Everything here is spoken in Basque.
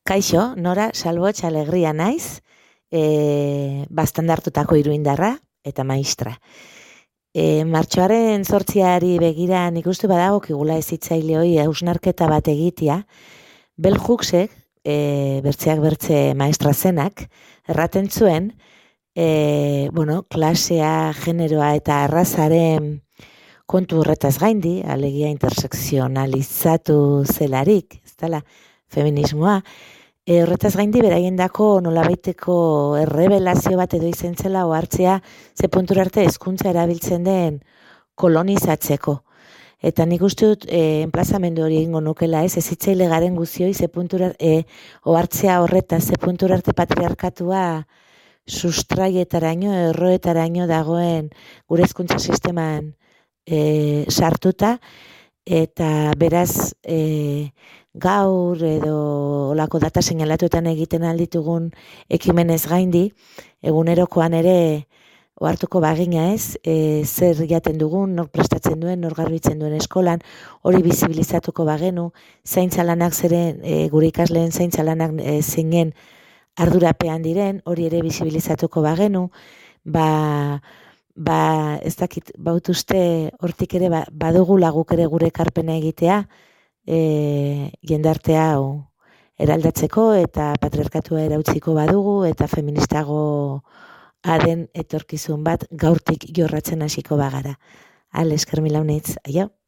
Kaixo, Nora Salbotx Alegria naiz, bastandartutako iruindarra eta maistra. Martxoaren 8 begira nik uste badagokigula hezitzaileoi hausnarketa bat egitea, Bell Hooksek, bertzeak bertze maestra zenak, erraten zuen, klasea, generoa eta arrazaren kontu horretaz gaindi, alegia intersekzionalizatu zelarik, ez dela, feminismoa, horretaz gaindi beraiendako nolabaiteko errebelazio bat edo izen zela ohartzea ze puntura arte hezkuntza erabiltzen den kolonizatzeko. Eta nik uste dut enplazamendu hori egingo nukela hezitzaile garen guzioi ze puntura ohartzea horretaz ze puntura arte patriarkatua sustraietaraino, erroetaraino dagoen gure hezkuntza sisteman sartuta, eta beraz gaur edo olako data seinalatuetan egiten alditugun ekimenez gaindi, egunerokoan ere ohartuko bagina zer jaten dugun, nor prestatzen duen, nor garbitzen duen eskolan, hori bizibilizatuko bagenu, zaintza lanak zeren, gure ikasleen zaintza lanak zeinen ardurapean diren, hori ere bizibilizatuko bagenu, ez dakit, bautuzte hortik ere badugu laguk ere gure ekarpena egitea, jendartea eraldatzeko eta patriarkatua erautziko badugu eta feministago aden etorkizun bat gaurtik jorratzen hasiko bagara. Esker mila unitz, aio.